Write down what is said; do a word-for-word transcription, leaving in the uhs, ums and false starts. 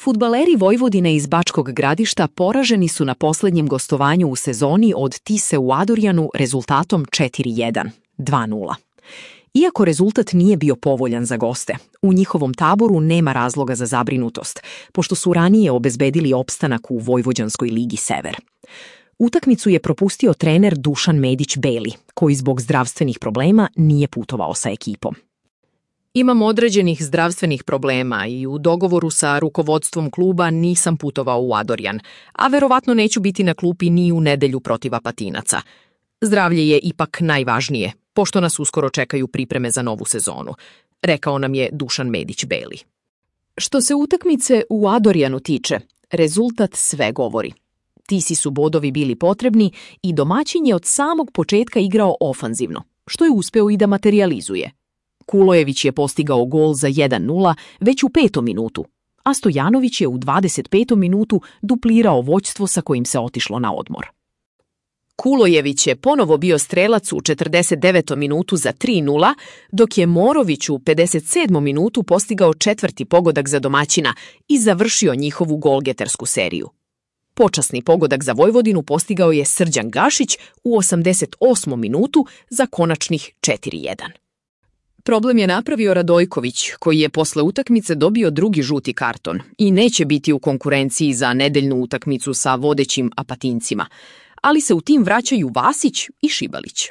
Fudbaleri Vojvodine iz Bačkog Gradišta poraženi su na posljednjem gostovanju u sezoni od Tise u Adorjanu rezultatom četiri jedan, dva nula. Iako rezultat nije bio povoljan za goste, u njihovom taboru nema razloga za zabrinutost, pošto su ranije obezbedili opstanak u Vojvođanskoj ligi Sever. Utakmicu je propustio trener Dušan Medić-Beli, koji zbog zdravstvenih problema nije putovao sa ekipom. Imam određenih zdravstvenih problema i u dogovoru sa rukovodstvom kluba nisam putovao u Adorjan, a verovatno neću biti na klupi ni u nedelju protiv Apatinaca. Zdravlje je ipak najvažnije, pošto nas uskoro čekaju pripreme za novu sezonu, rekao nam je Dušan Medić-Beli. Što se utakmice u Adorjanu tiče, rezultat sve govori. Tisi su bodovi bili potrebni i domaćin je od samog početka igrao ofanzivno, što je uspeo i da materijalizuje. Kulojević je postigao gol za jedan nula već u petom minutu, a Stojanović je u dvadeset petom minutu duplirao vođstvo sa kojim se otišlo na odmor. Kulojević je ponovo bio strelac u četrdeset devetom minutu za tri nula, dok je Morović u pedeset sedmom minutu postigao četvrti pogodak za domaćina i završio njihovu golgetersku seriju. Počasni pogodak za Vojvodinu postigao je Srđan Gašić u osamdeset osmom minutu za konačnih četiri jedan. Problem je napravio Radojković, koji je posle utakmice dobio drugi žuti karton i neće biti u konkurenciji za nedeljnu utakmicu sa vodećim Apatincima, ali se u tim vraćaju Vasić i Šibalić.